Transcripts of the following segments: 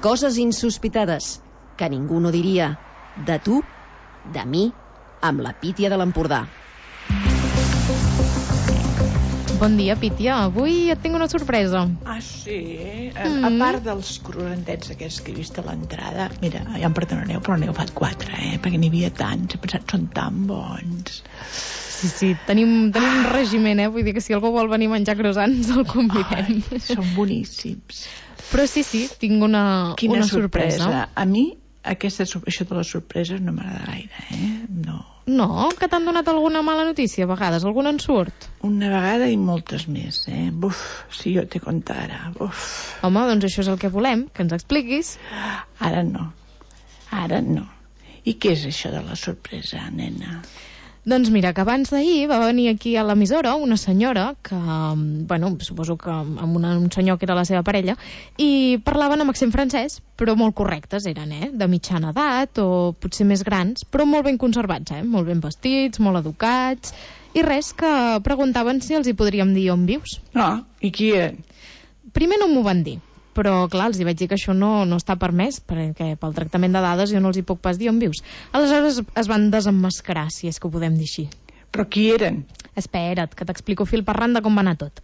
Coses insospitades que ningú no diria. De tu, de mi, amb la Pítia de l'Empordà. Bon dia, Pítia. Avui et tinc una sorpresa. Ah, sí? A part dels croissantets aquests que he vist a l'entrada, mira, ja em perdonareu, però n'he agafat 4, perquè n'hi havia tants. He pensat, són tan bons. Sí, tenim un regiment, Vull dir que si algú vol venir a menjar croissants, el convidem. Ai, són boníssims. Però sí, tinc una sorpresa. A mi, això de les sorpreses no m'agrada gaire, No, que t'han donat alguna mala notícia a vegades, alguna en surt? Una vegada i moltes més, Buf, si jo te contara, buf. Home, doncs això és el que volem, que ens expliquis. Ara no. I què és això de la sorpresa, nena? Doncs mira, que abans d'ahir va venir aquí a l'emissora una senyora que, suposo que amb un senyor que era la seva parella, i parlaven amb accent francès, però molt correctes eren, de mitjana edat o potser més grans, però molt ben conservats, molt ben vestits, molt educats, i res, que preguntaven si els hi podríem dir on vius. Ah, i qui eren? Primer no m'ho van dir, però clar, els hi vaig dir que això no està permès, perquè pel tractament de dades jo no els hi puc pas dir on vius. Aleshores es van desemmascarar, si és que ho podem dir així. Però qui eren? Espera't, que t'explico fil per randa com va anar tot.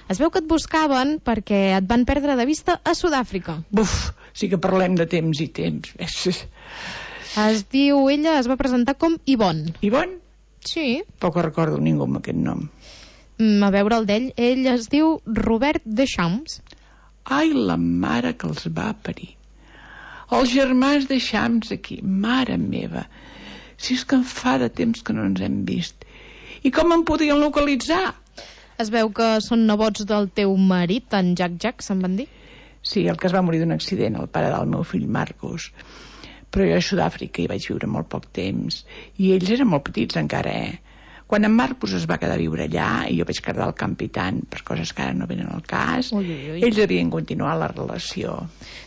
Es veu que et buscaven perquè et van perdre de vista a Sud-àfrica. Buf, sí que parlem de temps i temps. Ella es va presentar com Yvonne. Yvonne? Sí. Poc recordo ningú amb aquest nom. A veure el d'ell, ell es diu Robert Deschamps. Ai, la mare que els va parir. Els germans de Champs aquí, mare meva. Si és que em fa de temps que no ens hem vist. I com em podien localitzar? Es veu que són nebots del teu marit, en Jack, se'n van dir? Sí, el que es va morir d'un accident, el pare del meu fill Marcos. Però jo a Sud-àfrica hi vaig viure molt poc temps. I ells eren molt petits encara, Quan en Marcos es va quedar a viure allà i jo vaig quedar al Campitant per coses que ara no venen al cas, ells havien continuat la relació.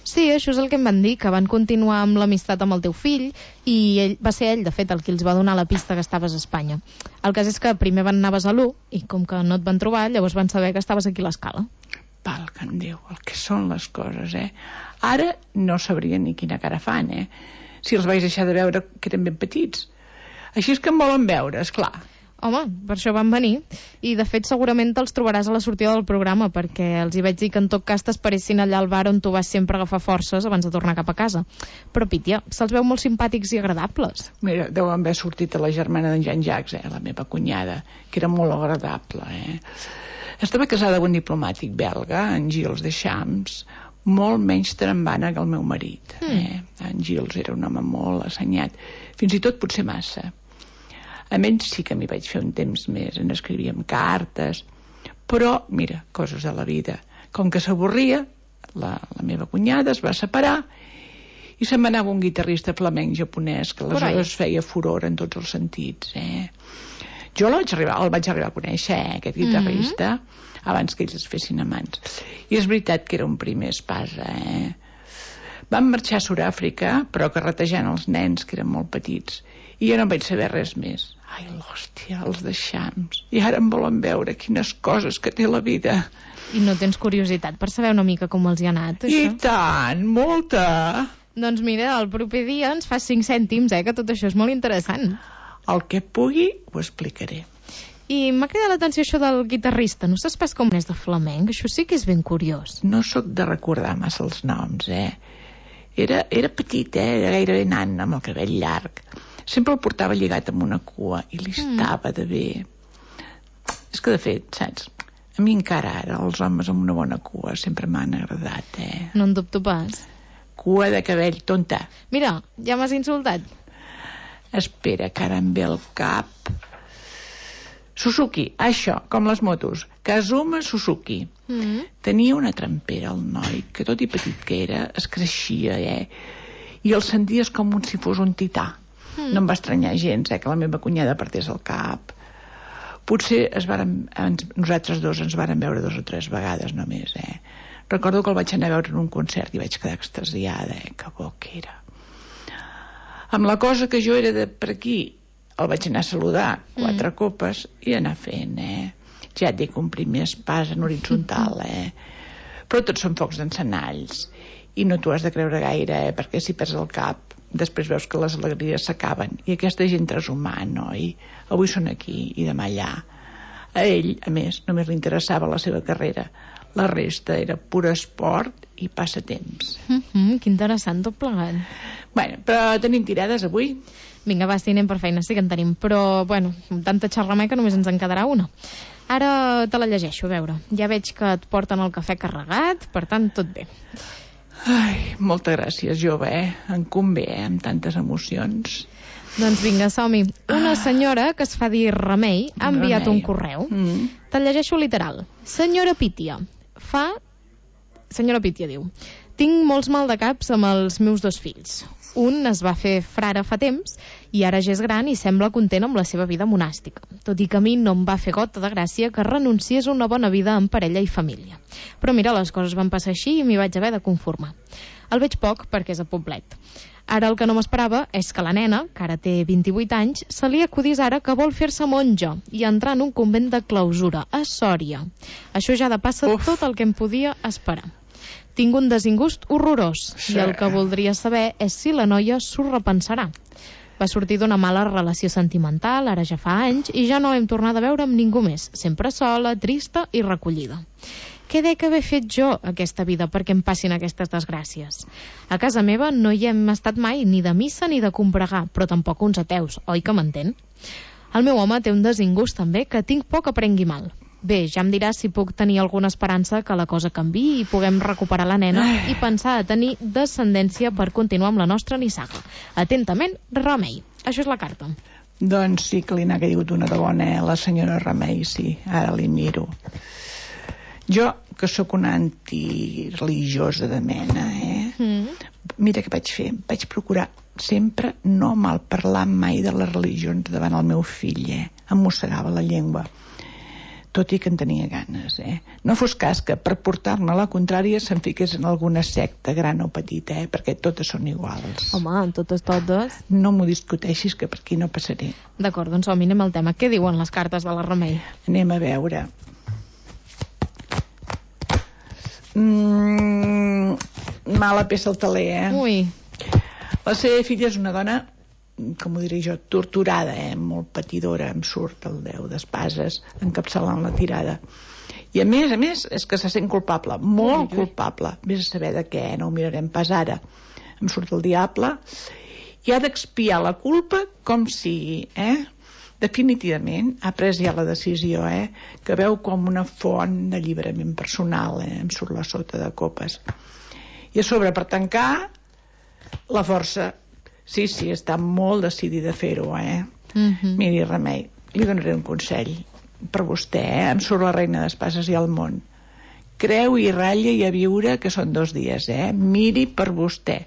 Sí, això és el que em van dir, que van continuar amb l'amistat amb el teu fill i va ser ell, de fet, el qui els va donar la pista que estaves a Espanya. El cas és que primer van anar a Besalú i com que no et van trobar, llavors van saber que estaves aquí a l'Escala. Valga'm Déu, el que són les coses, Ara no sabrien ni quina cara fan, Si els vaig deixar de veure que eren ben petits. Així és que em volen veure, esclar. Home, per això van venir. I, de fet, segurament te'ls trobaràs a la sortida del programa, perquè els hi vaig dir que en tot cas t'esperessin allà al bar on tu vas sempre agafar forces abans de tornar cap a casa. Però, Pítia, se'ls veu molt simpàtics i agradables. Mira, deu haver sortit a la germana d'en Jean-Jacques, la meva cunyada, que era molt agradable, Estava casada amb un diplomàtic belga, en Gilles Deschamps, molt menys trambana que el meu marit. En Gilles era un home molt assenyat, fins i tot potser massa. A menys sí que m'hi vaig fer un temps més, en escrivíem cartes, però, mira, coses de la vida. Com que s'avorria, la meva cunyada es va separar i se'n va anar un guitarrista flamenc japonès que aleshores feia furor en tots els sentits, Jo el vaig arribar a conèixer, aquest guitarrista, abans que ells es fessin amants. I és veritat que era un primer espasa, Vam marxar a Sud-àfrica, però carretejant els nens, que eren molt petits, i jo no vaig saber res més. Ai, l'hòstia, els Deschamps. I ara em volen veure quines coses que té la vida. I no tens curiositat per saber una mica com els hi ha anat, això? I tant, molta! Doncs mira, el proper dia ens fas 5 cèntims, que tot això és molt interessant. El que pugui ho explicaré. I m'ha cridat l'atenció això del guitarrista. No saps pas com és de flamenc? Això sí que és ben curiós. No sóc de recordar massa els noms, Era petit, era gairebé nan, amb el cabell llarg. Sempre el portava lligat amb una cua i li estava de bé. És que, de fet, saps, a mi encara ara els homes amb una bona cua sempre m'han agradat, No en dubto pas. Cua de cabell, tonta. Mira, ja m'has insultat. Espera, que ara em ve al cap. Suzuki, això, com les motos. Kazuma Suzuki. Tenia una trampera, el noi, que tot i petit que era, es creixia, I el senties com si fos un tità. No em va estranyar gens, que la meva cunyada partés el cap. Potser nosaltres dos ens vàrem veure 2 o 3 vegades només, Recordo que el vaig anar a veure en un concert i vaig quedar extasiada, que bo que era. Amb la cosa que jo era de per aquí, el vaig anar a saludar 4 copes i anar fent, Ja et dic, un primer espàs en horitzontal, Però tots són focs d'encenalls. i no t'ho has de creure gaire, perquè si perds el cap després veus que les alegries s'acaben, i aquesta gent és humà, no? I avui són aquí i demà allà. A ell, a més, només li interessava la seva carrera, la resta era pur esport i passatemps. Que interessant tot plegat. Bueno, però tenim tirades avui? Vinga, va, si anem per feina, sí que en tenim, però, bueno, amb tanta xerrameca només ens en quedarà una. Ara te la llegeixo, a veure. Ja veig que et porten el cafè carregat, per tant, tot bé. Ai, moltes gràcies, jove, em convé, amb tantes emocions. Doncs vinga, som-hi. Una senyora que es fa dir Remei ha enviat un correu. Te'l llegeixo literal. Senyora Pítia, Senyora Pítia diu: tinc molts maldecaps amb els meus 2 fills. Un es va fer frare fa temps i ara ja és gran i sembla content amb la seva vida monàstica, tot i que a mi no em va fer gota de gràcia que renunciés a una bona vida en parella i família. Però mira, les coses van passar així i m'hi vaig haver de conformar. El veig poc perquè és a Poblet. Ara el que no m'esperava és que la nena, que ara té 28 anys, se li acudís ara que vol fer-se monja i entrar en un convent de clausura a Sòria. Això ja depassa tot el que em podia esperar. Tinc un desingust horrorós i el que voldria saber és si la noia s'ho repensarà. Va sortir d'una mala relació sentimental, ara ja fa anys, i ja no l'hem tornat a veure amb ningú més, sempre sola, trista i recollida. Què dec haver fet jo aquesta vida perquè em passin aquestes desgràcies? A casa meva no hi hem estat mai ni de missa ni de combregar, però tampoc uns ateus, oi que m'entén? El meu home té un desingust també que tinc por que prengui mal. Bé, ja em diràs si puc tenir alguna esperança que la cosa canviï i puguem recuperar la nena i pensar a tenir descendència per continuar amb la nostra nissaga. Atentament, Remei. Això és la carta. Doncs sí que li n'ha caigut una de bona, la senyora Remei, sí. Ara li miro. Jo, que sóc una antireligiosa de mena, mira què vaig fer. Vaig procurar sempre no malparlar mai de les religions davant el meu fill, Em mossegava la llengua, tot i que en tenia ganes, No fos cas que per portar-me la contrària se'n fiqués en alguna secta, gran o petita, perquè totes són iguals. Home, totes. No m'ho discuteixis, que per aquí no passaré. D'acord, doncs som-hi, anem al tema. Què diuen les cartes de la Remei? Anem a veure. Mala peça al taler, Ui. La seva filla és una dona, com ho diré jo, torturada, molt patidora, em surt el 10 d'espases encapçalant la tirada. I a més, és que se sent culpable, molt culpable. Vés a saber de què, no ho mirarem pas ara. Em surt el diable i ha d'expiar la culpa com sigui, Definitivament ha pres ja la decisió, que veu com una font d'alliberament personal, em surt la sota de copes. I a sobre, per tancar, la força. Sí, està molt decidida a fer-ho, Miri, Remei, li donaré un consell per vostè, em surt la reina d'espases i el món. Creu i ratlla i a viure, que són 2 dies, Miri per vostè.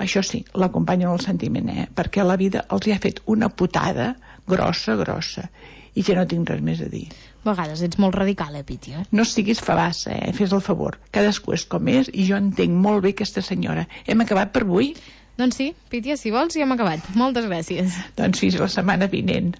Això sí, l'acompanyo en el sentiment, perquè la vida els hi ha fet una putada grossa, i ja no tinc res més a dir. A vegades ets molt radical, Pítia. No siguis fabassa, fes el favor. Cadascú és com és i jo entenc molt bé aquesta senyora. Hem acabat per avui? Doncs sí, Pítia, si vols ja hem acabat. Moltes gràcies. Doncs fins la setmana vinent.